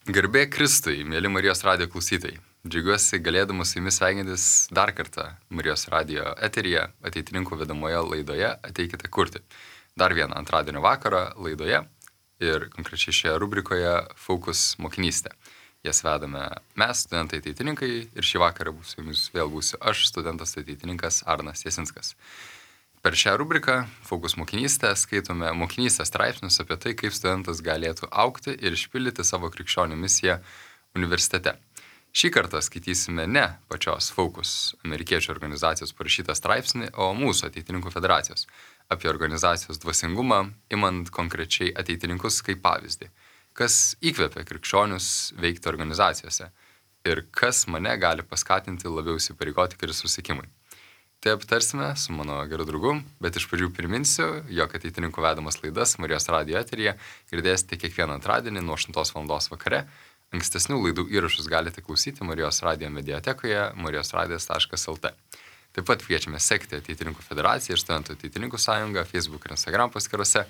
Garbė Kristui, mėly Marijos radijo klausytojai. Džiaugiuosi galėdamas su jumis sveikintis dar kartą Marijos radijo eteryje, ateitininkų vedamoje laidoje Ateikite kurti. Dar vieną antradienio vakarą laidoje ir konkrečiai šioje rubrikoje Fokus mokinystė. Jas vedame mes, studentai ateitininkai, ir šį vakarą su jumis vėl būsiu aš, studentas ateitininkas Arnas Jasinskas. Per šią rubriką Fokus mokinystė skaitome mokinystės straipsnius apie tai, kaip studentas galėtų augti ir išpildyti savo krikščionių misiją universitete. Šį kartą skaitysime ne pačios Fokus amerikiečių organizacijos parašytą straipsnį, o mūsų ateitininkų federacijos apie organizacijos dvasingumą, imant konkrečiai ateitininkus kaip pavyzdį, kas įkvepia krikščionius veikti organizacijose ir kas mane gali paskatinti labiau įsipareigoti Kristaus sekimui. Tai aptarsime su mano geru draugu, bet iš pradžių priminsiu, jog ateitininkų vedamas laidas Marijos radijo eteryje girdėsite kiekvieną antradienį nuo 8 val. Vakare. Ankstesnių laidų įrašus galite klausyti Marijos radijo mediatekoje marijosradijas.lt. Taip pat kviečiame sekti Ateitininkų federaciją ir Studentų ateitininkų sąjungą Facebook ir Instagram paskyrose,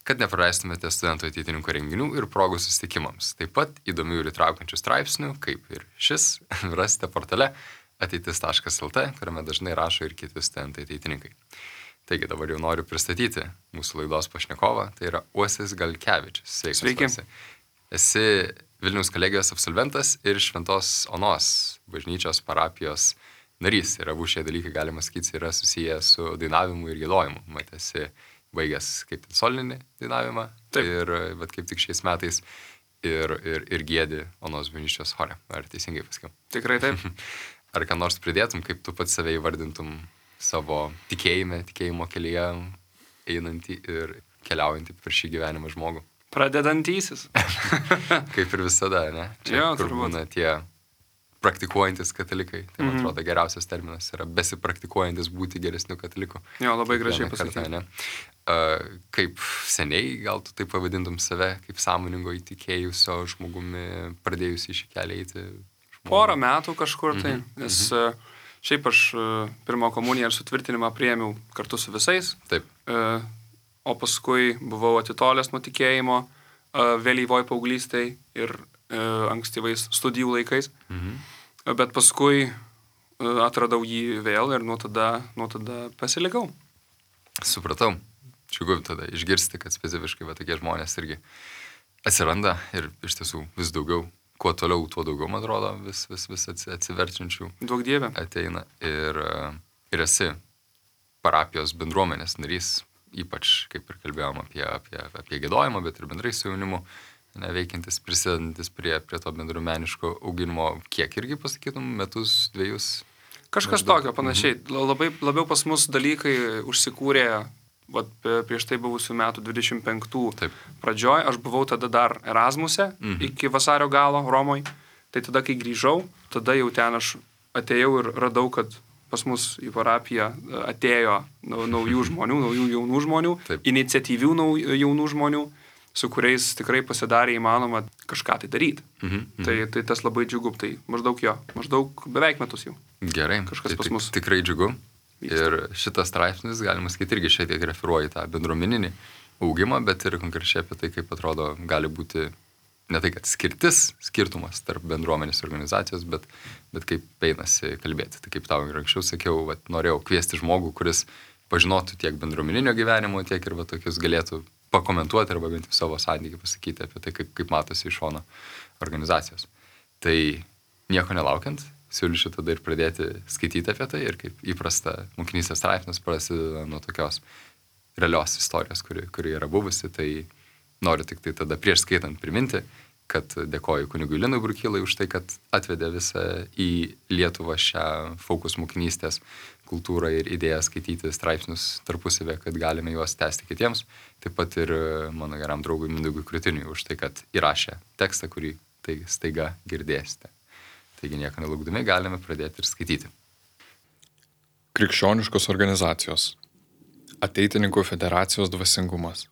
kad nepraleistumėte Studentų ateitininkų renginių ir progų susitikimams. Taip pat įdomių ir įtraukiančių straipsnių, kaip ir šis, rasite portale ateitis.lt, kuriame dažnai rašo ir kiti studentai ateitininkai. Taigi dabar jau noriu pristatyti mūsų laidos pašnekovą, tai yra Uosis Galkevičius. Sveiki. Esi Vilniaus kolegijos absolventas ir Šventos Onos bažnyčios parapijos narys. Ir abu šie dalykai, galima sakyti, yra susiję su dainavimu ir giedojimu. Esi baigęs kaip solinį dainavimą. Taip. Ir bet kaip tik šiais metais ir giedi Onos bažnyčios chore. Ar teisingai pasakiau? Tikrai taip. Ar ką nors pridėtum, kaip tu pats save įvardintum savo tikėjimo kelyje einantį ir keliaujantį per šį gyvenimą žmogų? Pradedantysis. Kaip ir visada, ne? Čia, Jo, kur turbūt. būna tie praktikuojantis katalikai. Tai man atrodo geriausias terminas yra besipraktikuojantis būti geresniu kataliku. Jo, labai gražiai Kiekvieną kartą, pasakyti. ne? Kaip seniai, gal tu taip pavadintum save, kaip sąmoningo įtikėjusio žmogumi, pradėjusi šį kelią eiti? Porą metų kažkur tai, nes šiaip aš pirmą komuniją ir sutvirtinimą priėmiau kartu su visais, Taip. O paskui buvau atitolęs nuo tikėjimo vėlyvoj paauglystėj ir ankstyvais studijų laikais, bet paskui atradau jį vėl ir nuo tada pasilikau. Supratau. Džiugu tada išgirsti, kad specifiškai va tokie žmonės irgi atsiranda ir iš tiesų vis daugiau. Kuo toliau, tuo daugiau, man atrodo, vis atsiverčiančių Duok Dieve. ateina. Ir esi parapijos bendruomenės narys, ypač, kaip ir kalbėjom apie giedojimą, bet ir bendrai su jaunimu, veikiantis, prisidedantis prie to bendruomeniško auginimo. Kiek irgi pasakytum, metus, 2? Kažkas tokio panašiai. Labiau pas mus dalykai užsikūrė prieš tai buvusių metų 25 Taip. pradžioj. Aš buvau tada dar Erasmuse iki vasario galo Romoj. Tai tada, kai grįžau, tada jau ten aš atėjau ir radau, kad pas mus į parapiją atėjo naujų žmonių, naujų jaunų žmonių, Taip. iniciatyvių jaunų žmonių, su kuriais tikrai pasidarė įmanoma kažką tai daryti. Tai tas labai džiugu. Tai maždaug beveik metus jau. Gerai. Kažkas Tai pas mus tikrai džiugu. vyksta. Ir šitas straipsnis, galima sakyti, irgi šiek tiek referuoja į tą bendruomeninį augimą, bet ir konkrečiai apie tai, kaip atrodo, gali būti ne tai, kad skirtumas tarp bendruomenės organizacijos, bet kaip einasi kalbėti. Tai kaip tau ir anksčiau sakiau, norėjau kviesti žmogų, kuris pažinotų tiek bendruomeninio gyvenimo, tiek ir tokius galėtų pakomentuoti arba bent savo santykį pasakyti apie tai, kaip matosi iš šono organizacijos. Tai nieko nelaukiant, siūlyčiau tada ir pradėti skaityti apie tai ir kaip įprasta mokinystės straipsnis prasideda nuo tokios realios istorijos, kuri yra buvusi. Tai noriu tik tai tada prieš skaitant priminti, kad dėkoju kunigui Linui Brukylai už tai, kad atvedė visą į Lietuvą šią Fokus mokinystės kultūrą ir idėją skaityti straipsnius tarpusavę, kad galime juos tęsti kitiems. Taip pat ir mano geram draugui Mindaugui Krutiniui už tai, kad įrašė tekstą, kurį tai staiga girdėsite. Taigi nieko nelaukdami galime pradėti ir skaityti. Krikščioniškos organizacijos. Ateitininkų federacijos dvasingumas.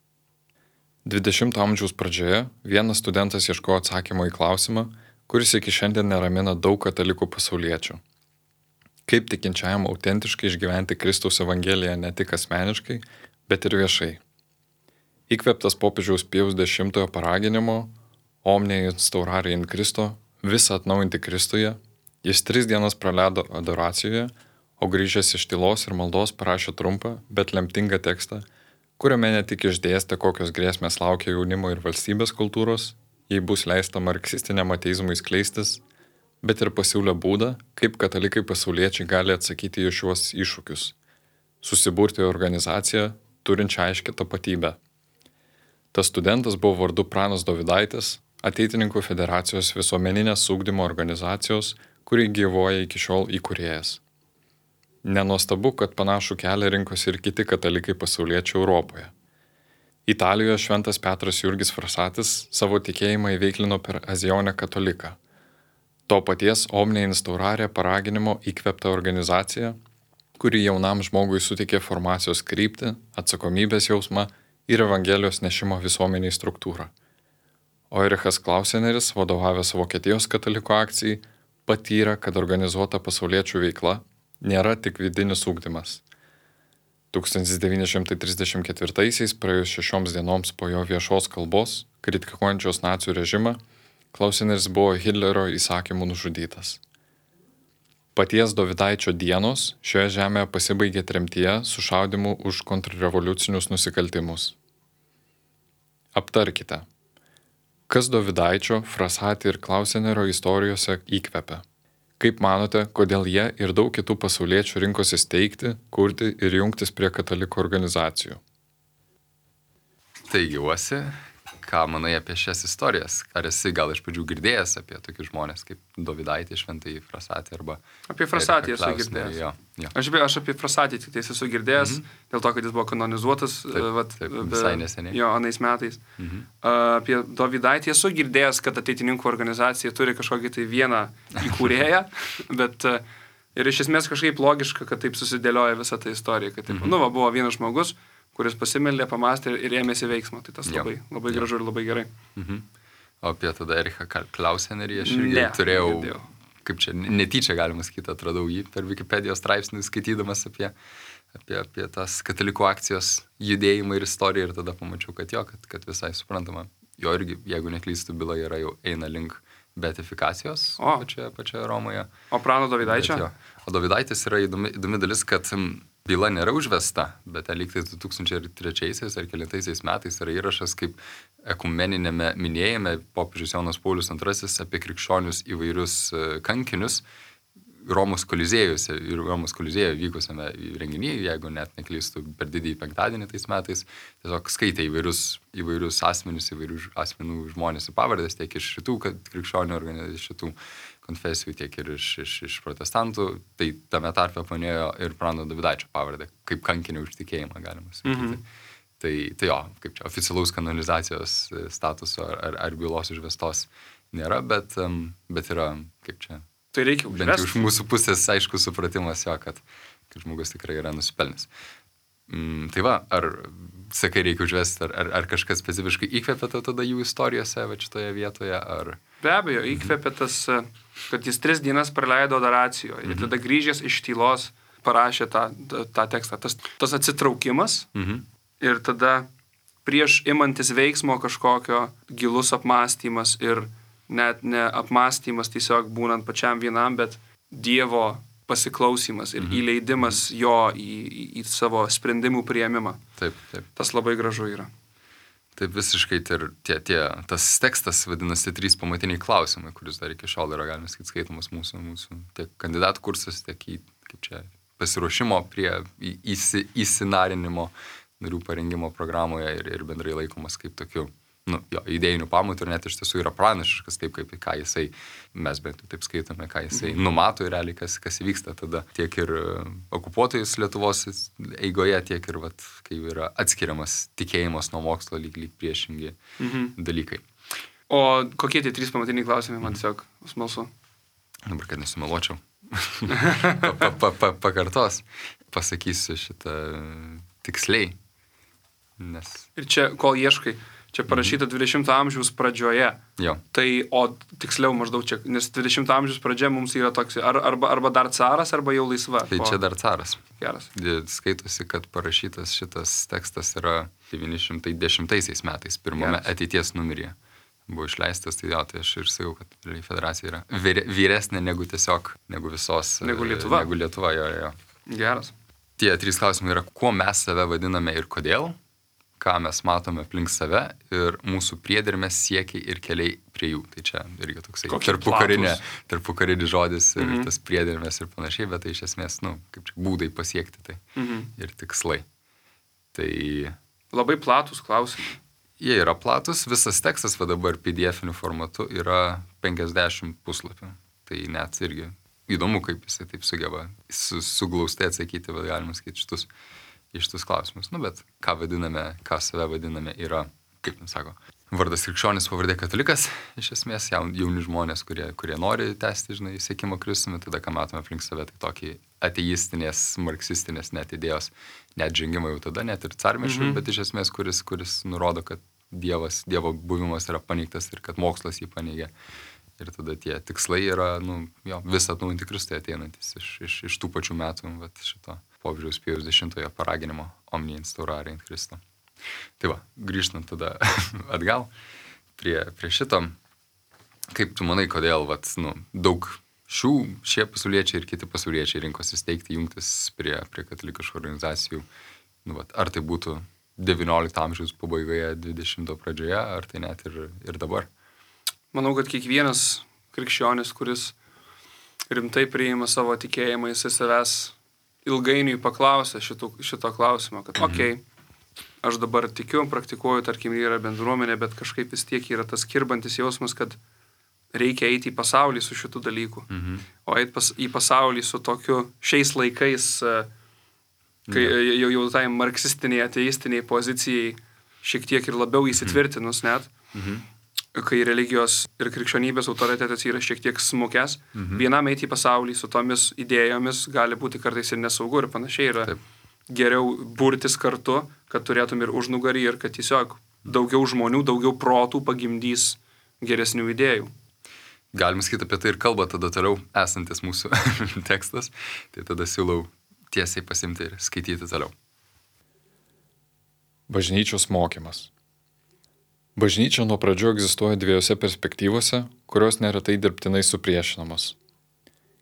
20 amžiaus pradžioje vienas studentas ieškojo atsakymo į klausimą, kuris iki šiandien neramina daug katalikų pasauliečių. Kaip tikinčiajam autentiškai išgyventi Kristaus evangeliją ne tik asmeniškai, bet ir viešai. Įkvėptas popiežiaus Pijaus X paraginimo omnia instaurare in Cristo, visą atnaujinti Kristuje, jis 3 dienas praleido adoracijoje, o grįžęs iš tylos ir maldos parašė trumpą, bet lemtingą tekstą, kuriame ne tik išdėstė, kokios grėsmės laukia jaunimo ir valstybės kultūros, jei bus leista marksistiniam ateizmui skleistis, bet ir pasiūlė būdą, kaip katalikai pasauliečiai gali atsakyti į šiuos iššūkius - susiburti į organizaciją, turinčią aiškę tapatybę. Tas studentas buvo vardu Pranas Dovydaitis, Ateitininkų federacijos visuomeninės ugdymo organizacijos, kuri gyvuoja iki šiol įkūrėjas. Nenuostabu, kad panašų kelią rinkosi ir kiti katalikai pasauliečiai Europoje. Italijoje šventas Petras Jurgis Frasatis savo tikėjimą įveiklino per Azionę kataliką. To paties Omnia Instaurare paraginimo įkvėpta organizacija, kuri jaunam žmogui suteikė formacijos kryptį, atsakomybės jausmą ir Evangelijos nešimo visuomeniai struktūrą. O Erichas Klauseneris, vadovavęs Vokietijos katalikų akcijai, patyrė, kad organizuota pasauliečių veikla nėra tik vidinis ugdymas. 1934-aisiais, praėjus 6 dienoms po jo viešos kalbos, kritikuojančios nacių režimą, Klauseneris buvo Hitlerio įsakymų nužudytas. Paties Dovydaičio dienos šioje žemėje pasibaigė tremtyje su šaudimu už kontrrevoliucinius nusikaltimus. Aptarkite, kas Dovydaičio, Frasati ir Klausenerio istorijose įkvepia. Kaip manote, kodėl jie ir daug kitų pasauliečių rinkosi steigti, kurti ir jungtis prie katalikų organizacijų? Taigi, Uosi, ką manai apie šias istorijas? Ar esi gal iš pradžių girdėjęs apie tokius žmonės kaip Dovydaitį, Šventąjį Frasatį arba... Apie Frasatį esu Klausenerį? girdėjęs. Jo, jo. Aš apie Frasatį tik tais esu girdėjęs, dėl to, kad jis buvo kanonizuotas Taip, visai neseniai. Jo, anais metais. Apie Dovydaitį esu girdėjęs, kad ateitininkų organizacija turi kažkokį tai vieną įkūrėją, bet ir iš esmės kažkaip logiška, kad taip susidėlioja visą tą istoriją, kad taip, buvo vienas žmogus, kuris pasimeldė, pamastė ir ėmėsi veiksmo. Tai tas labai gražu ir labai gerai. O apie tada Erichą Klausenerį aš irgi turėjau, kaip čia, netyčia galima sakyti, atradau jį per Wikipedijos straipsnį, skaitydamas apie tas katalikų akcijos judėjimą ir istoriją ir tada pamačiau, kad visai suprantama. Jo irgi, jeigu neklystu, byla yra jau eina link beatifikacijos pačioje Romoje. O Prano Dovydaičio? O Dovydaitis yra įdomi dalis, kad byla nėra užvesta, bet ten lyg tai 2003 ar kelintaisiais metais yra įrašas kaip ekumeninėme minėjime popiežius Jonas Paulius II apie krikščionius įvairius kankinius Romos Kolizėjoje vykusiame renginyje, jeigu net neklystu, per didįjį penktadienį tais metais, tiesiog skaitė įvairius asmenų žmonės į pavardės, tiek iš šitų krikščionių organizacijų, iš šitų konfesijų, tiek ir iš protestantų, tai tame tarpe panėjo ir Prano Dovydaičio pavardę, kaip kankinį už tikėjimą, galima sakyti. Tai jo, kaip čia, oficialaus kanonizacijos statuso ar bylos užvestos nėra, bet yra, kaip čia, tai reikia užvesti. Bent jau iš mūsų pusės aišku supratimas jo, kad žmogus tikrai yra nusipelnęs. Tai va, ar sakai reikia užvesti, ar kažkas specifiškai įkvėpė tada jų istorijose, va šitoje vietoje, ar... Be abejo, įkvėpė tas, kad jis 3 dienas praleido adoracijoje ir tada grįžęs iš tylos parašė tą tekstą. Tas atsitraukimas ir tada prieš imantis veiksmo kažkokio gilus apmąstymas ir net ne apmąstymas tiesiog būnant pačiam vienam, bet Dievo pasiklausimas ir įleidimas jo į savo sprendimų priėmimą. Taip. Tas labai gražu yra. Taip visiškai tas tekstas vadinasi 3 pamatiniai klausimai, kuris dar iki šiol yra, galime sakyti, skaitomas mūsų tiek kandidatų kursas, tiek kaip čia pasiruošimo prie įsinarinimo narių parengimo programoje ir bendrai laikomas kaip tokiu idėjinių pamatų ir net iš tiesų yra pranašiškas, taip kaip ką jisai, mes bent taip skaitome, ką jisai numato ir realiai, kas įvyksta tada tiek ir okupuotojus Lietuvos eigoje, tiek ir kai yra atskiriamas tikėjimas nuo mokslo lyg priešingi dalykai. O kokie tie 3 pamatiniai klausimai, man tiesiog smalsu? Dabar, kad nesumeluočiau. Pakartos. Pasakysiu šitą tiksliai. Ir čia, kol ieškai, čia parašyta 20 amžiaus pradžioje. Jo. Tai, o tiksliau maždaug čia, nes 20 amžiaus pradžia mums yra toks, arba dar caras, arba jau laisva. Tai čia dar caras. Geras. Skaitosi, kad parašytas šitas tekstas yra 910 metais, pirmame ateities numeryje. buvo išleistas, tai jo, tai aš ir sakiau, kad federacija yra vyresnė negu visos. Negu Lietuva. Negu Lietuva, jo. Geras. Tie 3 klausimai yra, kuo mes save vadiname ir kodėl, ką mes matome aplink save ir mūsų priedermės siekiai ir keliai prie jų. Tai čia irgi toksai tarpukarinis žodis ir tas priedermės ir panašiai, bet tai iš esmės, kaip čia būdai pasiekti tai ir tikslai. Tai labai platus klausimai. Jie yra platus, visas tekstas va dabar PDF-iniu formatu yra 50 puslapių. Tai net irgi įdomu, kaip jisai taip sugeba suglaustai atsakyti, bet galima sakyti šitus klausimus. Bet ką save vadiname yra, kaip jums sako, vardas krikščionis, pavardė katalikas, iš esmės jauni žmonės, kurie nori tęsti, siekimo Kristumi, tada ką matome aplink save, tai tokį ateistinės, marksistinės net idėjos, net žengimą jau tada, net ir carmešių, bet iš esmės, kuris nurodo, kad Dievo buvimas yra paneigtas ir kad mokslas jį paneigia. Ir tada tie tikslai yra, vis atnaujinti Kristui ateinantis iš tų pačių metų, šito popiežiaus Pijaus X paraginimo Omnia instaurare in Christo. Tai va, grįžtant tada atgal prie šito, kaip tu manai, kodėl daug šie pasauliečiai ir kiti pasauliečiai rinkosi steigti, jungtis prie katalikiškų organizacijų, ar tai būtų 19 amžiaus pabaigoje, 20 pradžioje, ar tai net ir dabar? Manau, kad kiekvienas krikščionis, kuris rimtai priima savo tikėjimą, jisai savęs ilgainiui paklausė šito klausimo, kad aš dabar tikiu, praktikuoju, tarkim, yra bendruomenė, bet kažkaip vis tiek yra tas kirbantis jausmas, kad reikia eiti į pasaulį su šitų dalykų. O eiti į pasaulį su tokiu šiais laikais, kai jau tai marksistiniai, ateistiniai pozicijai šiek tiek ir labiau įsitvirtinus net, kai religijos ir krikščionybės autoritetas yra šiek tiek smukęs, vienam eiti į pasaulį su tomis idėjomis gali būti kartais ir nesaugu ir panašiai yra. Taip. Geriau burtis kartu, kad turėtum ir užnugarį ir kad tiesiog daugiau žmonių, daugiau protų pagimdys geresnių idėjų. Galim sakyti apie tai ir kalba tada toliau esantis mūsų tekstas, tai tada siūlau tiesiai pasimti ir skaityti toliau. Bažnyčios mokymas. Bažnyčia nuo pradžių egzistuoja dviejose perspektyvose, kurios neretai dirbtinai supriešinamos.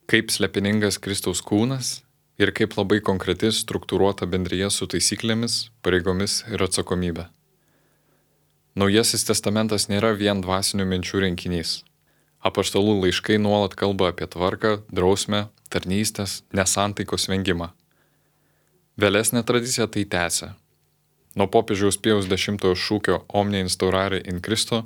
Kaip slepiningas Kristaus kūnas ir kaip labai konkreti struktūruota bendrija su taisyklėmis, pareigomis ir atsakomybė. Naujasis testamentas nėra vien dvasinių minčių rinkinys. Apaštalų laiškai nuolat kalba apie tvarką, drausmę, tarnystės, nesantaikos vengimą. Vėlesnė tradicija tai tęsia. Nuo popiežiaus Pijaus X šūkio Omnia instaurare in Christo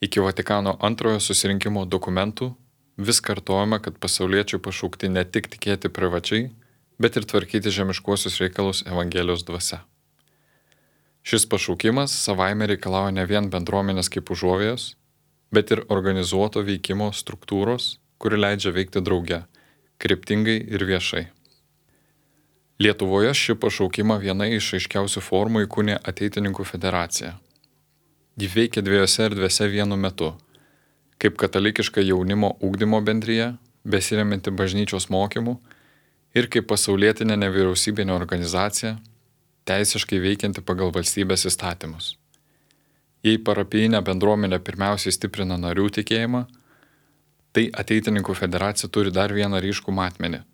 iki Vatikano II susirinkimo dokumentų vis kartojama, kad pasauliečiai pašaukti ne tik tikėti privačiai, bet ir tvarkyti žemiškuosius reikalus Evangelijos dvasia. Šis pašaukimas savaime reikalauja ne vien bendruomenės kaip užuovėjos, bet ir organizuoto veikimo struktūros, kuri leidžia veikti drauge, kryptingai ir viešai. Lietuvoje šį pašaukimą viena iš aiškiausių formų įkūnė Ateitininkų federacija. Ji veikia dviejose erdvėse vienu metu, kaip katalikiška jaunimo ugdymo bendrija, besiremianti bažnyčios mokymu, ir kaip pasaulietinė nevyriausybinė organizacija, teisiškai veikianti pagal valstybės įstatymus. Jei parapijinė bendruomenė pirmiausiai stiprina narių tikėjimą, tai Ateitininkų federacija turi dar vieną ryškų matmenį –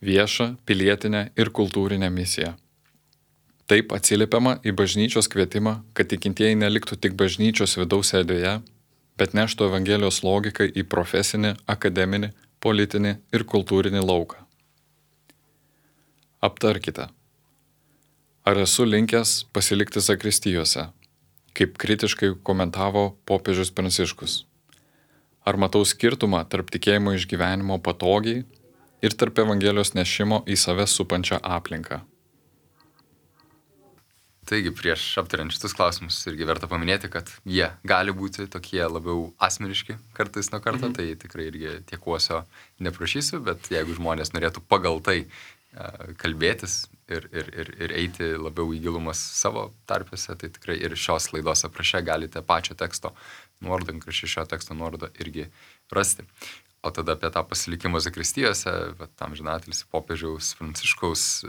viešą, pilietinę ir kultūrinę misiją. Taip atsiliepiama į bažnyčios kvietimą, kad tikintieji neliktų tik bažnyčios vidaus erdvėje, bet neštų Evangelijos logiką į profesinį, akademinį, politinį ir kultūrinį lauką. Aptarkite. Ar esu linkęs pasilikti zakristijose, kaip kritiškai komentavo popiežius Pranciškus? Ar matau skirtumą tarp tikėjimo išgyvenimo patogiai ir tarp Evangelijos nešimo į save supančią aplinką? Taigi, prieš aptariant šitus klausimus irgi verta paminėti, kad jie gali būti tokie labiau asmeniški kartais nuo karto, tai tikrai irgi tiekuosio neprašysiu, bet jeigu žmonės norėtų pagal tai kalbėtis ir eiti labiau į gilumas savo tarpėse, tai tikrai ir šios laidos apraše galite pačio teksto nuorodą, šio teksto nuorodą irgi rasti. O tada apie tą pasilikimą zakristijose, tam žinatelis popiežiaus Pranciškaus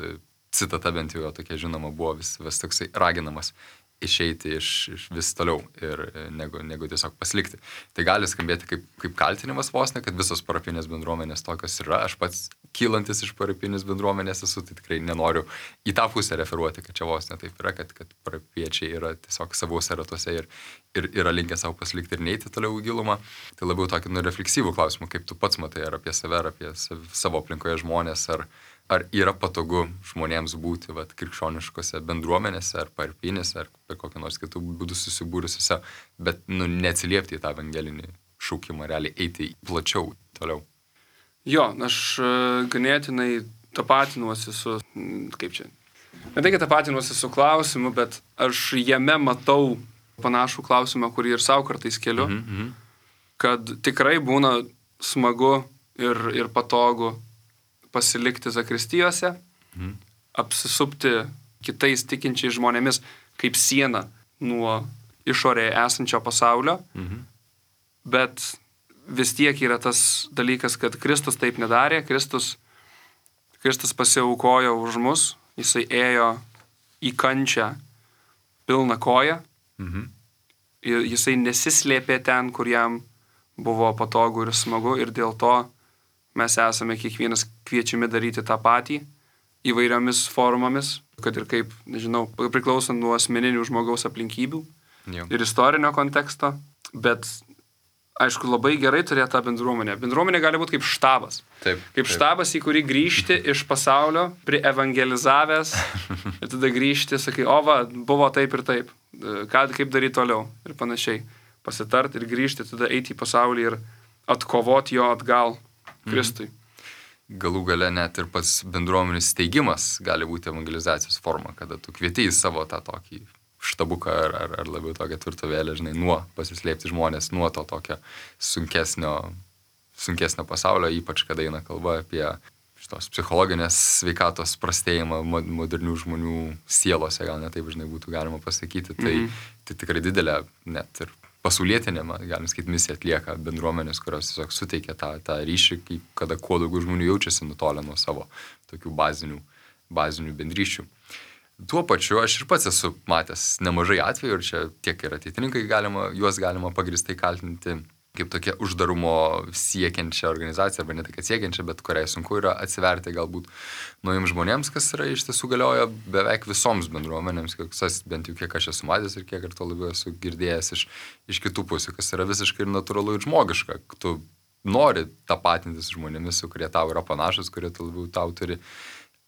citata bent jau tokia žinoma buvo vis toksai raginamas išeiti iš vis toliau ir negu tiesiog pasilikti. Tai gali skambėti kaip kaltinimas vos ne, kad visos parapinės bendruomenės tokios yra. Aš pats kylantis iš parapinės bendruomenės esu, tai tikrai nenoriu į tą pusę referuoti, kad čia vos ne taip yra, kad parapiečiai yra tiesiog savose ratuose ir yra linkę savo pasilikti ir neiti toliau į gilumą. Tai labiau tokį refleksyvų klausimą, kaip tu pats matai, ar apie save, ar apie savo aplinkoje žmonės, ar yra patogu žmonėms būti krikščioniškose bendruomenėse, ar parapinėse, ar per kokią nors kitų būdų susibūrusiuose, bet neatsiliepti į tą evangelinį šaukimą, realiai eiti plačiau toliau. Jo, aš ganėtinai tapatinuosi su, kaip čia, ne tai, kad tapatinuosi su klausimu, bet aš jame matau panašų klausimą, kurį ir savo kartais keliu, kad tikrai būna smagu ir patogu pasilikti zakristijose, apsisupti kitais tikinčiais žmonėmis kaip siena nuo išorėje esančio pasaulio, bet vis tiek yra tas dalykas, kad Kristus taip nedarė, Kristus pasiaukojo už mus, jisai ėjo į kančią pilną koją, ir jisai nesislėpė ten, kur jam buvo patogu ir smagu, ir dėl to mes esame kiekvienas kviečiami daryti tą patį įvairiomis formomis, kad ir kaip, nežinau, priklausant nuo asmeninių žmogaus aplinkybių ir istorinio konteksto, bet aišku, labai gerai turėti tą bendruomenę. Bendruomenė gali būti kaip štabas. Kaip štabas, į kurį grįžti iš pasaulio, prievangelizavęs ir tada grįžti, sakai, buvo taip ir taip, kaip daryti toliau ir panašiai. Pasitarti ir grįžti, tada eiti į pasaulį ir atkovoti jo atgal Kristui. Galų gale net ir pats bendruomenės steigimas gali būti evangelizacijos forma, kada tu kvieti į savo tą tokį štabuką ar labiau tokią tvirtovėlę, nuo pasislėpti žmonės, nuo to tokio sunkesnio pasaulio, ypač kada eina kalba apie šitos psichologinės sveikatos prastėjimą modernių žmonių sielose, gal net taip būtų galima pasakyti. Tai tikrai didelė net ir pasaulietinė, galim sakyti, misija atlieka bendruomenės, kurios tiesiog suteikia tą ryšį, kada kuo daugiau žmonių jaučiasi nutolę nuo savo tokių bazinių bendryšių. Tuo pačiu aš ir pats esu matęs nemažai atvejų, ir čia tiek ir ateitininkai juos galima pagrįstai kaltinti kaip tokia uždarumo siekiančia organizacija, arba ne tai, kad siekiančia, bet kuriai sunku yra atsiverti galbūt naujiems žmonėms, kas yra iš tiesų galioja beveik visoms bendruomenėms, bent jau kiek aš esu matęs ir kiek ir to labiau esu girdėjęs iš kitų pusių, kas yra visiškai natūralu ir žmogiška. Tu nori tapatintis žmonėmis, kurie tau yra panašus, kurie labiau tau turi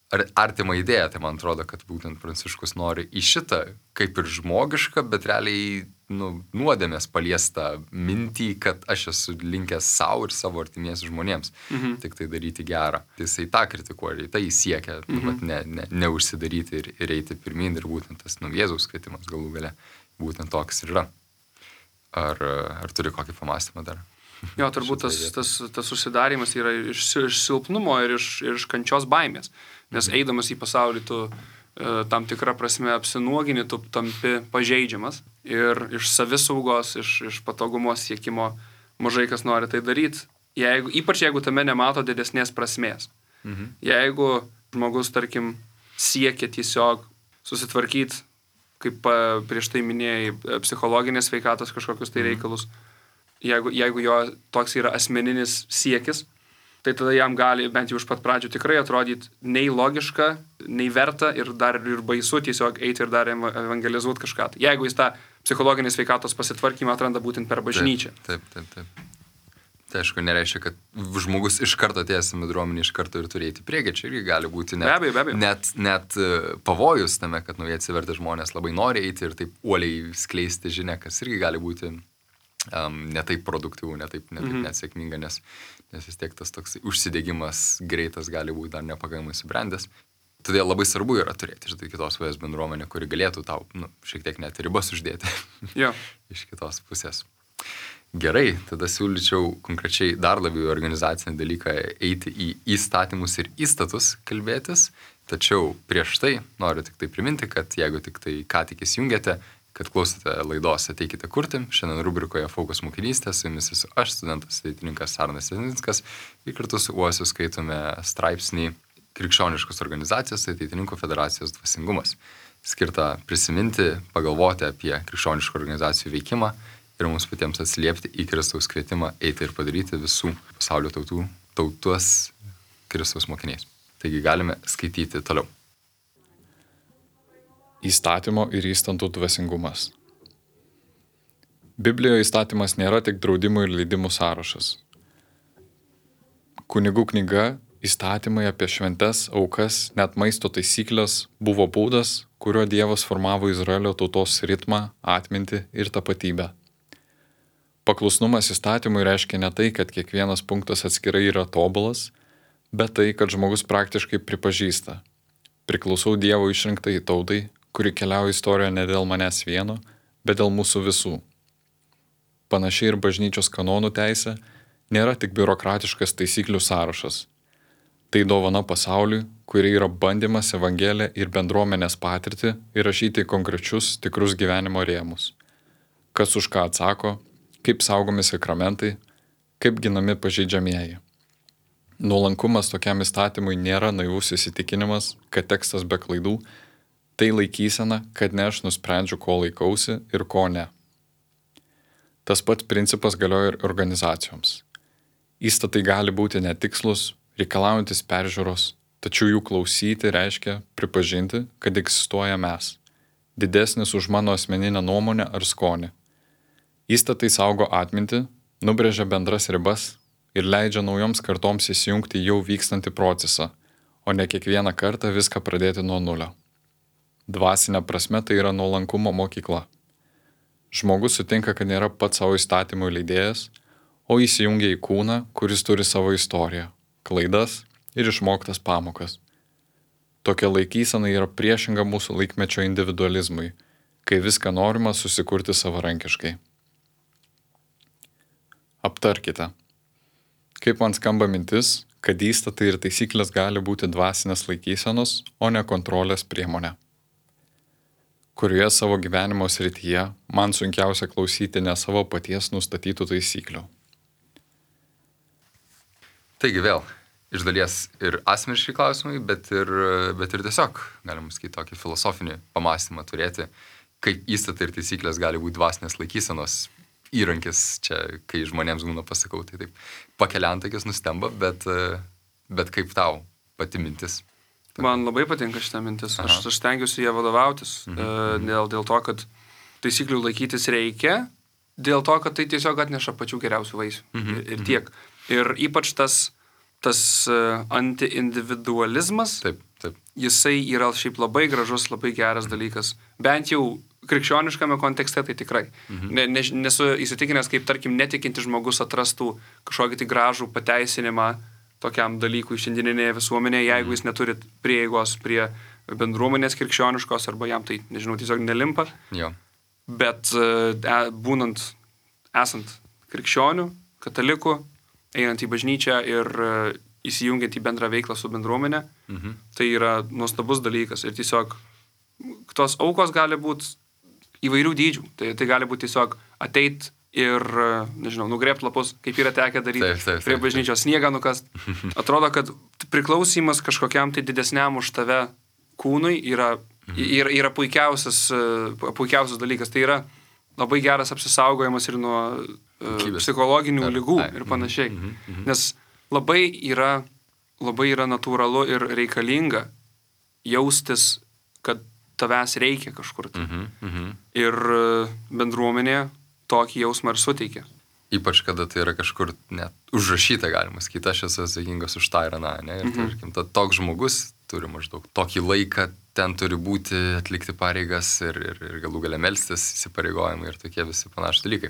artimą idėją. Tai man atrodo, kad būtent Pranciškus nori į šitą kaip ir žmogišką, bet realiai nuodėmės paliestą mintį, kad aš esu linkęs savo ir savo artimiesi žmonėms, tik tai daryti gerą. Tai jisai tą kritikuoja, tai jis siekia, neužsidaryti ir eiti pirmin, ir būtent tas Jėzaus kvietimas galų gale būtent toks ir yra. Ar turi kokį pamąstymą dar? Jo, turbūt tas užsidarimas yra iš silpnumo ir iš kančios baimės, nes eidamas į pasaulį tu tam tikrą prasme apsinuogini, tu tampi pažeidžiamas ir iš savisaugos, iš patogumo siekimo mažai kas nori tai daryti, ypač jeigu tame nemato didesnės prasmės. Jeigu žmogus, tarkim, siekia tiesiog susitvarkyti, kaip prieš tai minėjai, psichologinės sveikatos kažkokius tai reikalus, jeigu jo toks yra asmeninis siekis, tai tada jam gali bent jau iš pat pradžių tikrai atrodyti nei logiška, nei verta ir dar ir baisu tiesiog eiti ir dar evangelizuoti kažką. Jeigu jis tą psichologinės sveikatos pasitvarkymą atranda būtent per bažnyčią. Taip. Tai aišku, nereiškia, kad žmogus iš karto atėjęs į bendruomenę iš karto ir turi eiti priekį. Čia irgi gali būti net pavojus tame, kad naujai atsivertę žmonės labai nori eiti ir taip uoliai skleisti žinią, kas irgi gali būti netaip produktyvų, netaip nesėkminga, nes vis tiek tas toks užsidegimas greitas gali būti dar nepakankamai subrendęs. Todėl labai svarbu yra turėti kitos pusės bendruomenę, kuri galėtų tau šiek tiek net ribas uždėti iš kitos pusės. Gerai, tada siūlyčiau konkrečiai dar labiau į organizacinį dalyką eiti į įstatymus ir įstatus kalbėtis, tačiau prieš tai noriu tik tai priminti, kad jeigu tik tai ką tik įsijungėte, kad klausote laidos Ateikite kurti. Šiandien rubrikoje Fokus mokinystė, su jumis esu aš, studentas ateitininkas Arnas Jasinskas, ir kartu su Uosiu skaitome straipsnį Krikščioniškos organizacijos Ateitininkų federacijos dvasingumas. skirtą prisiminti, pagalvoti apie krikščioniškų organizacijų veikimą ir mums patiems atsiliepti į Kristaus kvietimą eiti ir padaryti visų pasaulio tautos Kristaus mokiniais. Taigi galime skaityti toliau. Įstatymo ir įstantų dvasingumas. Biblijoje įstatymas nėra tik draudimų ir leidimų sąrašas. Kunigų knyga, įstatymai apie šventes, aukas, net maisto taisyklės buvo būdas, kuriuo Dievas formavo Izraelio tautos ritmą, atmintį ir tapatybę. Paklusnumas įstatymui reiškia ne tai, kad kiekvienas punktas atskirai yra tobulas, bet tai, kad žmogus praktiškai pripažįsta: priklausau Dievo išrinktai tautai, kuri keliauja istorijoje ne dėl manęs vieno, bet dėl mūsų visų. Panašiai ir bažnyčios kanonų teisė nėra tik biurokratiškas taisyklių sąrašas. Tai dovana pasauliui, kuri yra bandymas Evangeliją ir bendruomenės patirtį įrašyti į konkrečius tikrus gyvenimo rėmus. Kas už ką atsako, kaip saugomi sakramentai, kaip ginami pažeidžiamieji. Nuolankumas tokiam įstatymui nėra naivus įsitikinimas, kad tekstas be klaidų, tai laikysena, kad ne aš nusprendžiu, ko laikausi ir ko ne. Tas pats principas galioja ir organizacijoms. Įstatai gali būti netikslus, reikalaujantis peržiūros, tačiau jų klausyti reiškia pripažinti, kad egzistuoja mes, didesnis už mano asmeninę nuomonę ar skonį. Įstatai saugo atmintį, nubrėžia bendras ribas ir leidžia naujoms kartoms įsijungti jau vykstantį procesą, o ne kiekvieną kartą viską pradėti nuo nulio. Dvasinė prasme tai yra nuolankumo mokykla. Žmogus sutinka, kad nėra pats savo įstatymų leidėjas, o įsijungia į kūną, kuris turi savo istoriją, klaidas ir išmoktas pamokas. Tokia laikysena yra priešinga mūsų laikmečio individualizmui, kai viską norima susikurti savarankiškai. Aptarkite. Kaip man skamba mintis, kad įstatai ir taisyklės gali būti dvasinės laikysenos, o ne kontrolės priemonė. Kurioje savo gyvenimo srityje man sunkiausia klausyti ne savo paties nustatytų taisyklių. Taigi vėl, iš dalies ir asmeniški klausimai, bet ir tiesiog, galima sakyti, tokį filosofinį pamąstymą turėti, kaip įstatai ir taisyklės gali būti dvasinės laikysenos įrankis. Čia, kai žmonėms būna pasakau, tai taip pakeliantakis nustemba, bet kaip tau pati mintis? Man labai patinka šitą mintis. Aš stengiuosi ją vadovautis dėl to, kad taisyklių laikytis reikia, dėl to, kad tai tiesiog atneša pačių geriausių vaisių. Ir tiek. Ir ypač tas anti-individualizmas, jisai yra šiaip labai gražus, labai geras dalykas. Bent jau krikščioniškame kontekste tai tikrai. Nesu įsitikinęs, kaip, tarkim, netikinti žmogus atrastų kažkokį tai gražų pateisinimą tokiam dalykui šiandieninėje visuomenėje, jeigu jis neturi prieigos prie bendruomenės krikščioniškos, arba jam tai, nežinau, tiesiog nelimpa. Jo. Bet esant krikščionių, katalikų, einant į bažnyčią ir įsijungiant į bendrą veiklą su bendruomenė, tai yra nuostabus dalykas. Ir tiesiog tos aukos gali būti įvairių dydžių. Tai gali būti tiesiog ateit ir, nežinau, nugrėbt lapus, kaip yra tekę daryti prie bažnyčios, sniegą nukast. Atrodo, kad priklausymas kažkokiam tai didesniam už tave kūnui yra puikiausias dalykas. Tai yra labai geras apsisaugojimas ir nuo psichologinių ligų ir panašiai. Nes labai yra natūralu ir reikalinga jaustis, kad tavęs reikia kažkur. Ir bendruomenė tokį jausmą ir suteikia. Ypač, kada tai yra kažkur net užrašyta, galima sakyti, aš esu atsakingas už tą ir aną, ne? Ir tarkim, toks žmogus turi maždaug tokį laiką, ten turi būti, atlikti pareigas ir galų gale melstis, įsipareigojimai ir tokie visi panašūs dalykai.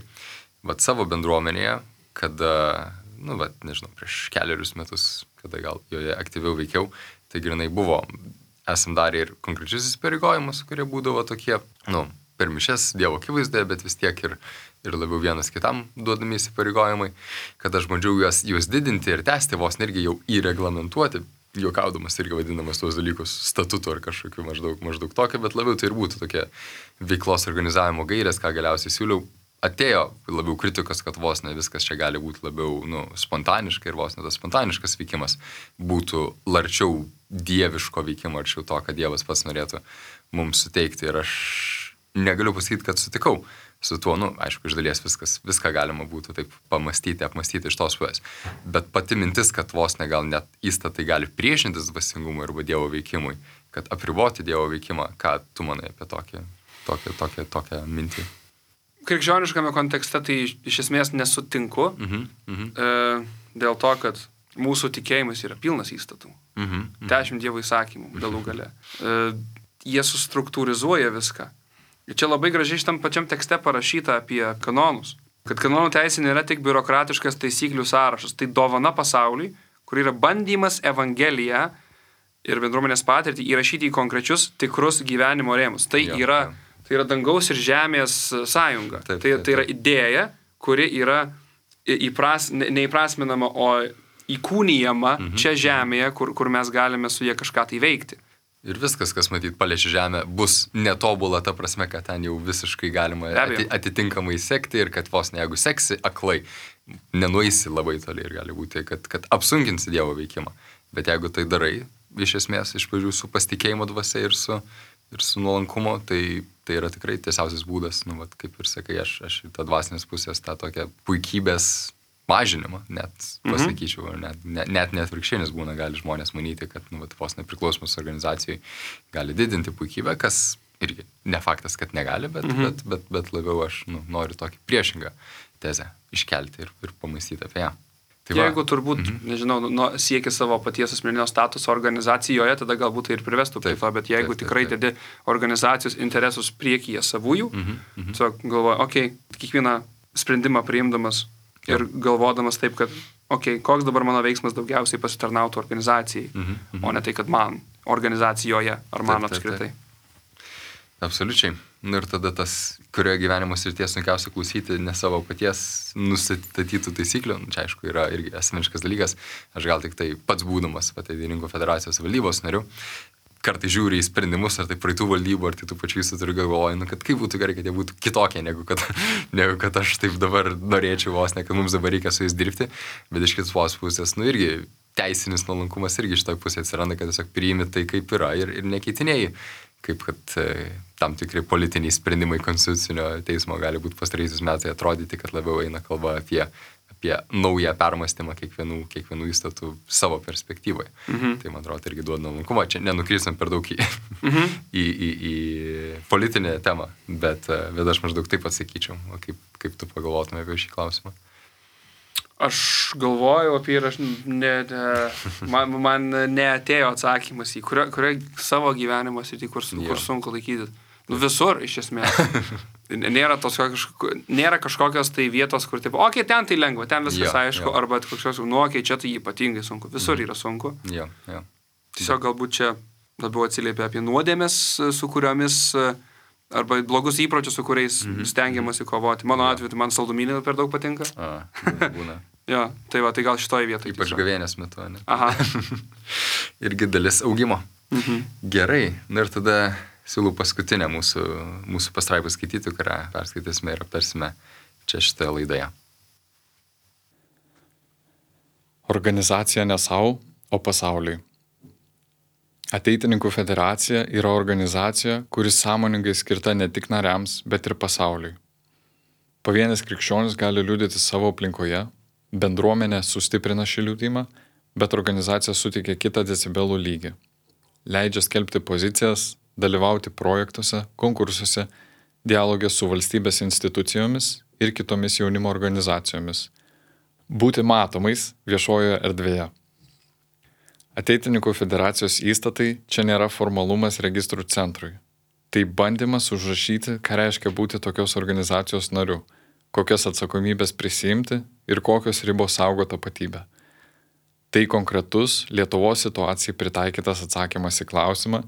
Vat savo bendruomenėje, kada, nežinau, prieš keliarius metus, kada gal joje aktyviau veikiau, tai grinai buvo, esam darę ir konkrečius įsipareigojimus, kurie būdavo tokie, per mišes Dievo akivaizdoje, bet vis tiek ir labiau vienas kitam duodami įsipareigojimai, kad aš bandžiau juos didinti ir tęsti, vos irgi jau įreglamentuoti, juokaudamas irgi vadinamas tuos dalykus statutu ar kažkokiu maždaug tokio, bet labiau tai ir būtų tokie veiklos organizavimo gairės, ką galiausiai siūliau atėjo labiau kritikos, kad vos ne viskas čia gali būti labiau spontaniška ir vos ne tas spontaniškas veikimas būtų larčiau dieviško veikimo, arčiau to, kad Dievas pats norėtų mums suteikti. Ir aš negaliu pasakyti, kad sutikau su tuo, aišku, iš dalies viską galima būtų taip pamastyti, apmastyti iš tos pusės. Bet pati mintis, kad vos ne gal net įstatai gali priešintis dvasingumui arba Dievo veikimui, kad apriboti Dievo veikimą, ką tu manai apie tokią mintį? Krikščioniškame kontekste tai iš esmės nesutinku, dėl to, kad mūsų tikėjimas yra pilnas įstatų. 10 Dievo įsakymų galų gale. Jie sustruktūrizuoja viską. Ir čia labai gražiai šitam pačiam tekste parašyta apie kanonus. Kad kanonų teisė nėra tik biurokratiškas taisyklių sąrašas. Tai dovana pasauliui, kur yra bandymas Evangeliją ir bendruomenės patirtį įrašyti į konkrečius tikrus gyvenimo rėmus. Tai yra dangaus ir žemės sąjunga. Tai yra idėja, kuri yra neįprasminama, o įkūnijama čia žemėje, kur mes galime su jie kažką tai veikti. Ir viskas, kas matyt paliečia žemę, bus netobula ta prasme, kad ten jau visiškai galima atitinkamai sekti ir kad vos ne, jeigu seksi aklai, nenueisi labai toli ir gali būti, kad apsunkinsi Dievo veikimą. Bet jeigu tai darai, iš esmės, iš pradžių su pasitikėjimo dvasia ir su nuolankumo, tai yra tikrai tiesiausias būdas, kaip ir sakai, aš tą dvasinės pusės, tą tokią puikybės mažinimą, net pasakyčiau, net virkščinis būna, gali žmonės manyti, kad vos nepriklausomus organizacijai gali didinti puikybę, kas irgi ne faktas, kad negali, bet labiau aš noriu tokį priešingą tezę iškelti ir pamąstyti apie ją. Tai jeigu turbūt, nežinau, sieki savo paties asmeninio statuso organizacijoje, tada galbūt tai ir privestų prie to, bet jeigu tikrai dedi organizacijos interesus priekyje savųjų, tiesiog galvoju, kiekvieną sprendimą priimdamas ir galvodamas taip, kad, koks dabar mano veiksmas daugiausiai pasitarnautų organizacijai, o ne tai, kad man organizacijoje ar man apskritai. Absoliučiai. Ir tada tas, kurioje gyvenimo srities sunkiausia klausyti ne savo paties nustatytų taisyklių, čia aišku yra irgi asmeniškas dalykas, aš gal tik tai pats būdamas Ateitininkų federacijos valdybos nariu, kartai žiūri į sprendimus, ar tai praeitų valdybų, ar tai tų pačių įstatų galvoju, kad kaip būtų gerai, kad jie būtų kitokie, negu kad aš taip dabar norėčiau vos ne, kad mums dabar reikia su jais dirbti, bet iš kitos pusės, irgi teisinis nuolankumas irgi iš toj pusės atsiranda, kad tiesiog priimi tai, kaip yra ir nekeitinėjai, kaip kad tam tikri politiniai sprendimai konstitucinio teismo gali būti pastaraisiais metais atrodyti, kad labiau eina kalba apie naują permąstymą kiekvienų įstatų savo perspektyvoje. Tai, man atrodo, irgi duoda nuolankumą. Čia nenukrypstam per daug į politinę temą, bet aš maždaug taip atsakyčiau. O kaip tu pagalvotume apie šį klausimą? Aš galvoju apie ir man neatėjo atsakymas į kurio savo gyvenimo sritį, kur sunku laikyti. Visur, iš esmės. Nėra kažkokios tai vietos, kur taip, ten tai lengva, ten viskas aišku, arba kažkokios, čia tai ypatingai sunku. Visur yra sunku. Tiesiog galbūt čia labiau atsiliepia apie nuodėmes, su kuriomis, arba blogus įpročius, su kuriais stengiamasi kovoti. Mano atveju, man saldumynai per daug patinka. Būna. Tai gal šitoje vietoje. Ypač gavėnės metu, ne? Aha. Irgi dalis augimo. Gerai, ir tada siūlau paskutinę mūsų pastraipą skaityti, kurią perskaitysime ir aptarsime čia šitoje laidoje. Organizacija ne savo, o pasauliui. Ateitininkų federacija yra organizacija, kuris sąmoningai skirta ne tik nariams, bet ir pasauliui. Pavienis krikščionis gali liudyti savo aplinkoje, bendruomenė sustiprina šį liudymą, bet organizacija suteikia kitą decibelų lygį. Leidžia skelbti pozicijas, dalyvauti projektuose, konkursuose, dialogė su valstybės institucijomis ir kitomis jaunimo organizacijomis. Būti matomais viešojoje erdvėje. Ateitininkų federacijos įstatai čia nėra formalumas registrų centrui. Tai bandymas užrašyti, ką reiškia būti tokios organizacijos nariu, kokias atsakomybės prisiimti ir kokios ribos saugo tapatybę. Tai konkretus Lietuvos situacijai pritaikytas atsakymas į klausimą,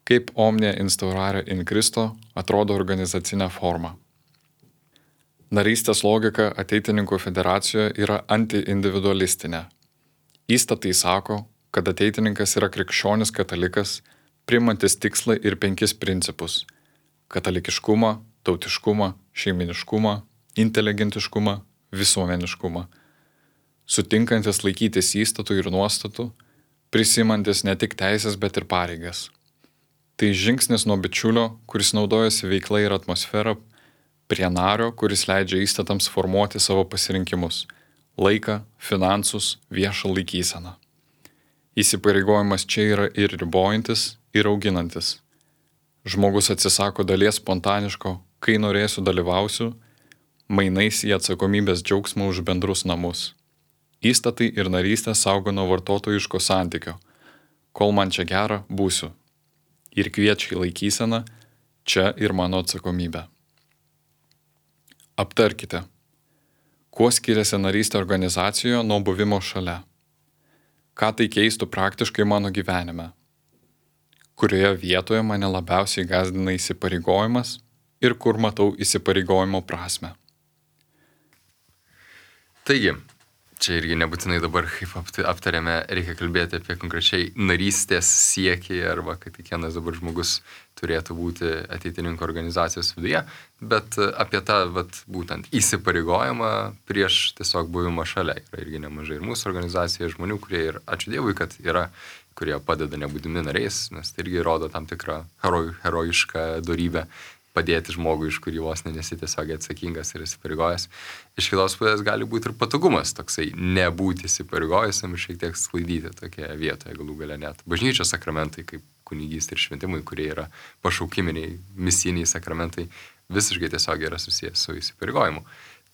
kaip Omnia Instaurare in Christo atrodo organizacinė forma. Narystės logika Ateitininkų federacijoje yra antiindividualistinė. Įstatai sako, kad ateitininkas yra krikščionis katalikas, priimantis tikslą ir 5 principus – katalikiškumą, tautiškumą, šeiminiškumą inteligentiškumą, visuomeniškumą, sutinkantis laikytis įstatų ir nuostatų, prisimantis ne tik teisės, bet ir pareigas. Tai žingsnis nuo bičiulio, kuris naudojasi veikla ir atmosfera, prie nario, kuris leidžia įstatams formuoti savo pasirinkimus - laiką, finansus, viešą laikyseną. Įsipareigojimas čia yra ir ribojantis, ir auginantis. Žmogus atsisako dalies spontaniško, kai norėsiu dalyvausiu, mainais į atsakomybės džiaugsmą už bendrus namus. Įstatai ir narystė saugo nuo vartotojiško santykio. Kol man čia gera, būsiu. Ir kviečia į laikyseną, čia ir mano atsakomybė. Aptarkite, kuo skiriasi narystė organizacijoje nuo buvimo šalia. Ką tai keistų praktiškai mano gyvenime. Kurioje vietoje mane labiausiai gąsdina įsipareigojimas ir kur matau įsipareigojimo prasme. Taigi, čia irgi nebūtinai dabar, kaip aptarėme, reikia kalbėti apie konkrečiai narystės siekį arba kad kiekvienas dabar žmogus turėtų būti ateitininko organizacijos viduje, bet apie tą būtent įsipareigojimą prieš tiesiog buvimą šalia. Yra irgi nemažai ir mūsų organizacijoje žmonių, kurie ir ačiū Dievui, kad yra, kurie padeda nebūdami nariais, nes tai irgi rodo tam tikrą herojišką dorybę padėti žmogui, iš kurį vos nesi tiesiogiai atsakingas ir įsipareigojęs. Iš kitos pusės gali būti ir patogumas toksai nebūti įsipareigojusiam ir šiek tiek sklaidyti tokioje vietoje, galų gale net bažnyčios sakramentai, kaip kunigystė ir šventimai, kurie yra pašaukiminiai, misiniai sakramentai, visiškai tiesiogiai yra susijęs su įsipareigojimu.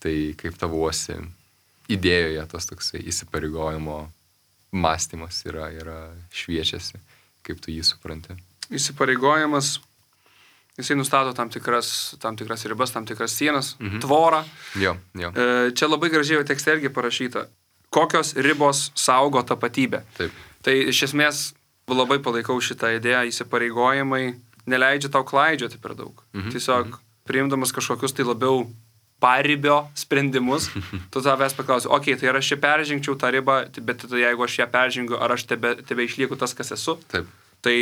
Tai kaip tavuosi idėjoje tas toksai įsipareigojimo mąstymas yra šviečiasi, kaip tu jį supranti. Įsipareigojimas, jisai nustato tam tikras ribas, tam tikras sienas, tvorą. Jo. Čia labai gražiai tekste irgi parašyta, kokios ribos saugo tapatybę. Taip. Tai iš esmės labai palaikau šitą idėją, įsipareigojimai neleidžia tau klaidžioti per daug. Tiesiog priimdamas kažkokius tai labiau paribio sprendimus, tu tavęs paklausi, tai ar aš čia peržengčiau tą ribą, bet jeigu aš ją peržengiu, ar aš tebe išlieku tas, kas esu. Taip. Tai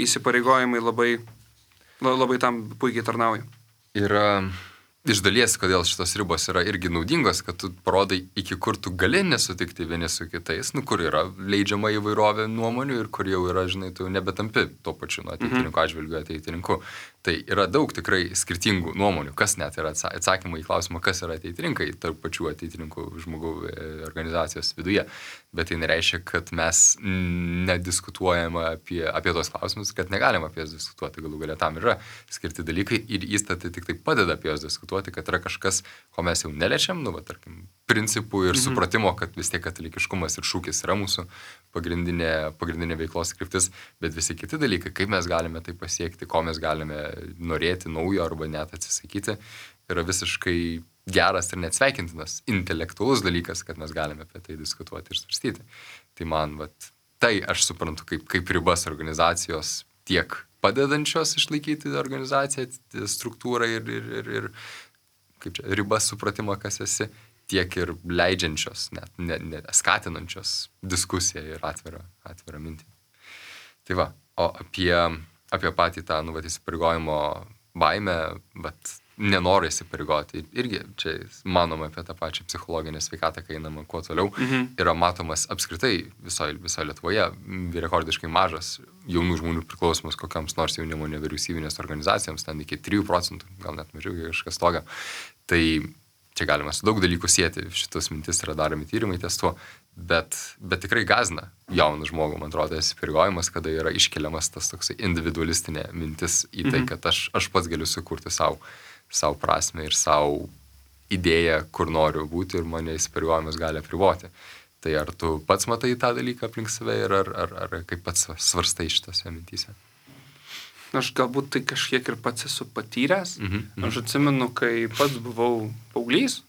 įsipareigojimai labai tam puikiai tarnauja. Yra iš dalies, kodėl šitos ribos yra irgi naudingos, kad tu parodai, iki kur tu gali nesutikti vieni su kitais, kur yra leidžiama įvairovė nuomonių ir kur jau yra, tu nebetampi tuo pačiu ateitininkų atžvilgiu ateitininku. Tai yra daug tikrai skirtingų nuomonių, kas net yra atsakymai į klausimą, kas yra ateitininkai tarp pačių ateitininkų žmogų organizacijos viduje. Bet tai nereiškia, kad mes nediskutuojame apie tos klausimus, kad negalime apie jas diskutuoti. Galų galia tam yra skirti dalykai ir įstatai tik tai padeda apie jas diskutuoti, kad yra kažkas, ko mes jau neliečiam, tarkim, principų ir supratimo, kad vis tiek katalikiškumas ir šūkis yra mūsų pagrindinė veiklos kryptis, bet visi kiti dalykai, kaip mes galime tai pasiekti, ko mes galime norėti naujo arba net atsisakyti, yra visiškai geras ir neatsveikintinas intelektualus dalykas, kad mes galime apie tai diskutuoti ir svarstyti. Tai man, tai aš suprantu kaip ribas organizacijos tiek padedančios išlaikyti organizaciją, struktūrą ir kaip čia, ribas supratimą, kas esi, tiek ir leidžiančios, net skatinančios diskusiją ir atvirą mintį. Tai va, o apie patį tą įsipareigojimo baimę, nenori įsipareigoti. Irgi čia manoma apie tą pačią psichologinę sveikatą, kai einama kuo toliau, yra matomas apskritai visoje Lietuvoje rekordiškai mažas jaunų žmonių priklausomas kokiams nors jaunimo nevyriausybinės organizacijoms, ten iki 3%, gal net mažiau kažkas toga. Tai čia galima su daug dalykų sieti, šitos mintis yra daromi tyrimai ties tuo, bet tikrai gąsdina jauną žmogų, man atrodo, įsipareigojimas, kada yra iškeliamas tas toksai individualistinė mintis į tai, kad aš pats galiu sukurti savo prasme ir savo idėją, kur noriu būti ir mane įsipareigojimas gali apriboti. Tai ar tu pats matai tą dalyką aplink save ir ar kaip pats svarstai šitose mintyse? Aš galbūt tai kažkiek ir pats esu patyręs. Aš atsimenu, kai pats buvau paauglys,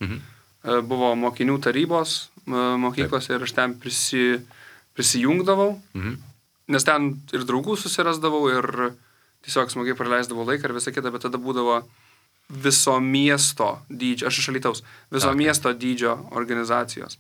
buvo mokinių tarybos mokyklos ir aš ten prisijungdavau, nes ten ir draugų susirasdavau ir tiesiog smagiai praleisdavau laiką ir visą kitą, bet tada būdavo viso miesto dydžio, aš iš Alytaus, miesto dydžio organizacijos.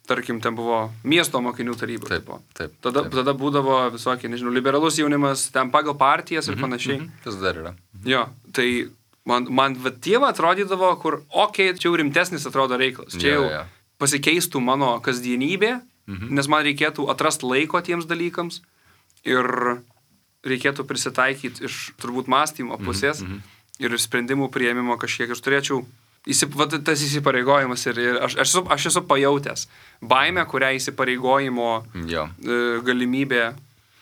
Tarkim, ten buvo miesto mokinių taryba. Taip. Tada būdavo visokie, liberalus jaunimas, ten pagal partijas ir panašiai. Tas dar yra. Jo, tai Man Dievą atrodydavo, kur, čia jau rimtesnis atrodo reikalas. Čia jau pasikeistų mano kasdienybė, nes man reikėtų atrasti laiko tiems dalykams ir reikėtų prisitaikyti iš turbūt mąstymo pusės ir sprendimų priėmimo kažkiek. Aš turėčiau tas įsipareigojimas ir aš esu pajautęs baimę, kurią įsipareigojimo galimybė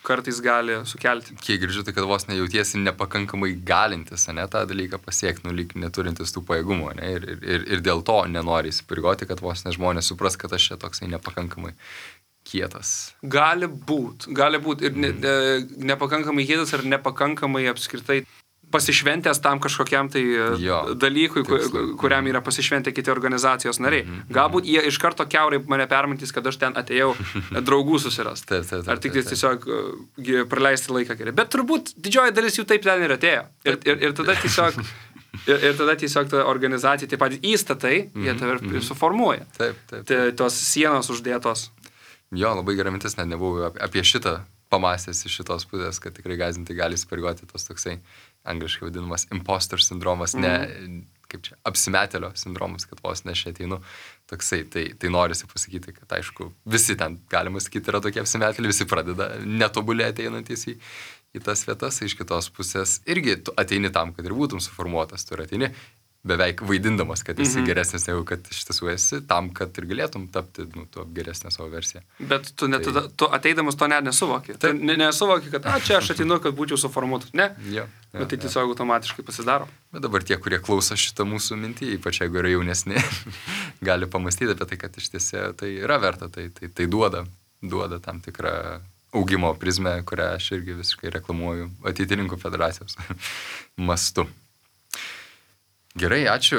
kartais gali sukelti. Kiek girdžiu, tai kad vos nejautiesi nepakankamai galintis, ne, tą dalyką pasiekti, lyg neturintis tų pajėgumų, ne, ir dėl to nenori įsipareigoti, kad vos ne žmonės supras, kad aš čia toksai nepakankamai kietas. Gali būt ir nepakankamai kietas ar nepakankamai apskritai pasišventęs tam kažkokiam tai dalykui, kuriam yra pasišventę kiti organizacijos nariai. Galbūt jie iš karto kiaurai mane permatys, kad aš ten atėjau draugų susirast. Ar tik tiesiog praleisti laiką gerai. Bet turbūt didžioji dalis jų taip ten ir atėjo. Ir tada tiesiog ta organizacija, taip pat įstatai, jie tave suformuoja. Tos sienos uždėtos. Labai gera mintis, net nebuvau apie šitą pamastęs iš šitos pusės, kad tikrai gąsdinti gali įsipareigoti tos toksai angliškai vadinamas imposter sindromas, ne, kaip čia, apsimetėlio sindromas, kad vos ne aš ateinu toksai. Tai norisi pasakyti, kad aišku, visi ten, galima sakyti, yra tokie apsimetėliai, visi pradeda netobulėti einantis į tas vietas, iš kitos pusės irgi tu ateini tam, kad ir būtum suformuotas, tu ateini beveik vaidindamas, kad esi geresnis negu kad iš tiesų esi, tam, kad ir galėtum tapti tu geresnę savo versiją. Bet tu ateidamas to net nesuvoki. Tu nesuvoki, kad čia aš ateinu, kad būčiau suformuotas. Ne? Bet tai tiesiog automatiškai pasidaro. Bet dabar tie, kurie klauso šitą mūsų mintį, ypač jeigu yra jaunesni, gali pamastyti apie tai, kad iš tiesų tai yra verta, tai duoda tam tikrą augimo prizmę, kurią aš irgi visiškai reklamuoju Ateitininkų federacijos mastu. Gerai, ačiū.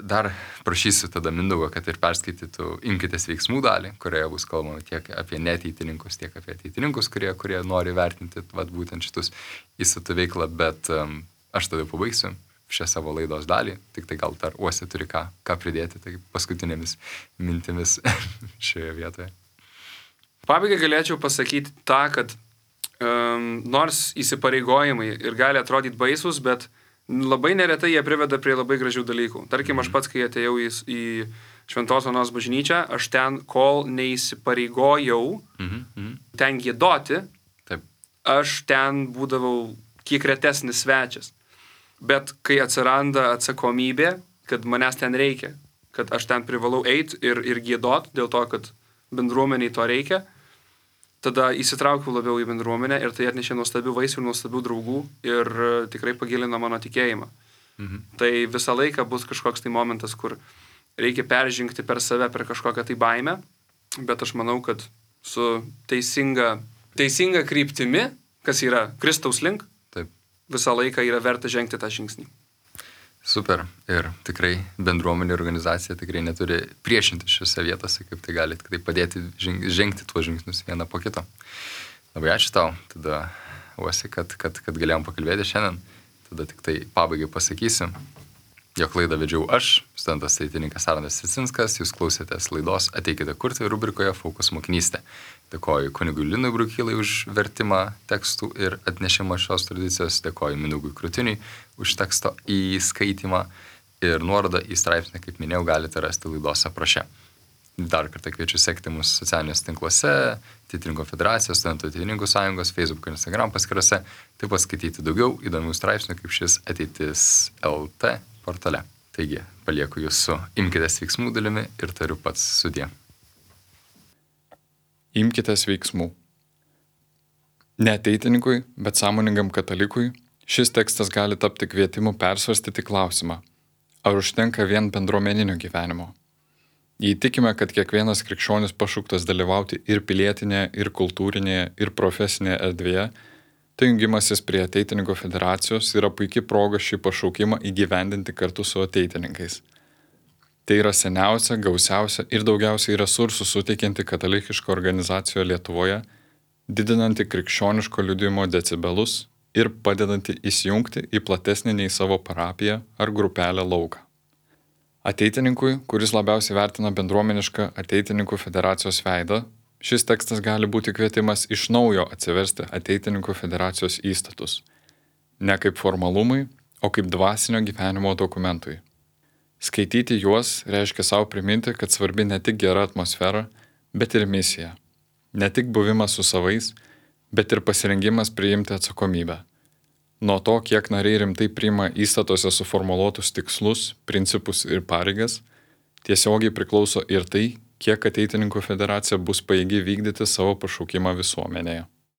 Dar prašysiu tada Mindaugo, kad ir perskaitytų Imkitės veiksmų dalį, kurioje bus kalbama tiek apie neateitininkus, tiek apie ateitininkus, kurie nori vertinti būtent šitus įstatų veiklą, bet aš tada pabaigsiu šią savo laidos dalį, tik tai gal dar Uosi turi ką pridėti, tai paskutinėmis mintimis šioje vietoje. Pabaigai galėčiau pasakyti tą, kad nors įsipareigojimai ir gali atrodyti baisus, bet labai neretai jie priveda prie labai gražių dalykų. Tarkim, aš pats, kai atėjau į Šventos Onos bažnyčią, aš ten, kol neįsipareigojau ten giedoti, aš ten būdavau kiek retesnis svečias. Bet kai atsiranda atsakomybė, kad manęs ten reikia, kad aš ten privalau eiti ir giedot, dėl to, kad bendruomeniai to reikia, tada įsitraukiau labiau į bendruomenę ir tai atnešė nuostabių vaisių ir nuostabių draugų ir tikrai pagilino mano tikėjimą. Tai visą laiką bus kažkoks tai momentas, kur reikia peržengti per save, per kažkokią tai baimę, bet aš manau, kad su teisinga kryptimi, kas yra Kristaus link, visą laiką yra verta žengti tą žingsnį. Super. Ir tikrai bendruomenė organizacija tikrai neturi priešinti šiose vietose, kaip tai gali tikrai padėti žengti tuos žingsnius vieną po kito. Labai ačiū tau. Tada Uosi, kad galėjom pakalbėti šiandien. Tada tik tai pabaigai pasakysiu, jog laidą vedžiau aš, studentas ateitininkas Arnas Cicinskas, jūs klausėtės laidos Ateikite kurti rubrikoje Fokus mokinystė. Dėkoju kunigui Linui Brukylai už vertimą tekstų ir atnešimą šios tradicijos, dėkoju Mindaugui Krutiniui už teksto įskaitimą ir nuorodą į straipsnį, kaip minėjau, galite rasti laidos apraše. Dar kartą kviečiu sekti mūsų socialiniuose tinkluose, Ateitininkų federacijos, Studentų ateitininkų sąjungos, Facebook ir Instagram paskyrose, taip pat skaityti daugiau įdomių straipsnių kaip šis Ateitis LT portale. Taigi, palieku jūs su Imkitės veiksmų dalimi ir tariu pats sudie. Imkitės veiksmų. Ne ateitininkui, bet sąmoningam katalikui šis tekstas gali tapti kvietimu persvarstyti klausimą, ar užtenka vien bendruomeninio gyvenimo. Jei tikime, kad kiekvienas krikščionis pašauktas dalyvauti ir pilietinėje, ir kultūrinėje, ir profesinėje erdvėje, tai jungimasis prie Ateitininkų federacijos yra puikia proga šį pašaukimą įgyvendinti kartu su ateitininkais. Tai yra seniausia, gausiausia ir daugiausiai resursų suteikianti katalikiška organizacija Lietuvoje, didinanti krikščioniško liudijimo decibelus ir padedanti įsijungti į platesnį nei savo parapiją ar grupelę lauką. Ateitininkui, kuris labiausiai vertina bendruomenišką Ateitininkų federacijos veidą, šis tekstas gali būti kvietimas iš naujo atsiversti Ateitininkų federacijos įstatus. Ne kaip formalumai, o kaip dvasinio gyvenimo dokumentui. Skaityti juos reiškia savo priminti, kad svarbi ne tik gera atmosfera, bet ir misija. Ne tik buvimas su savais, bet ir pasirengimas priimti atsakomybę. Nuo to, kiek nariai rimtai priima įstatuose suformuluotus tikslus, principus ir pareigas, tiesiogiai priklauso ir tai, kiek Ateitininkų federacija bus pajėgi vykdyti savo pašaukimą visuomenėje.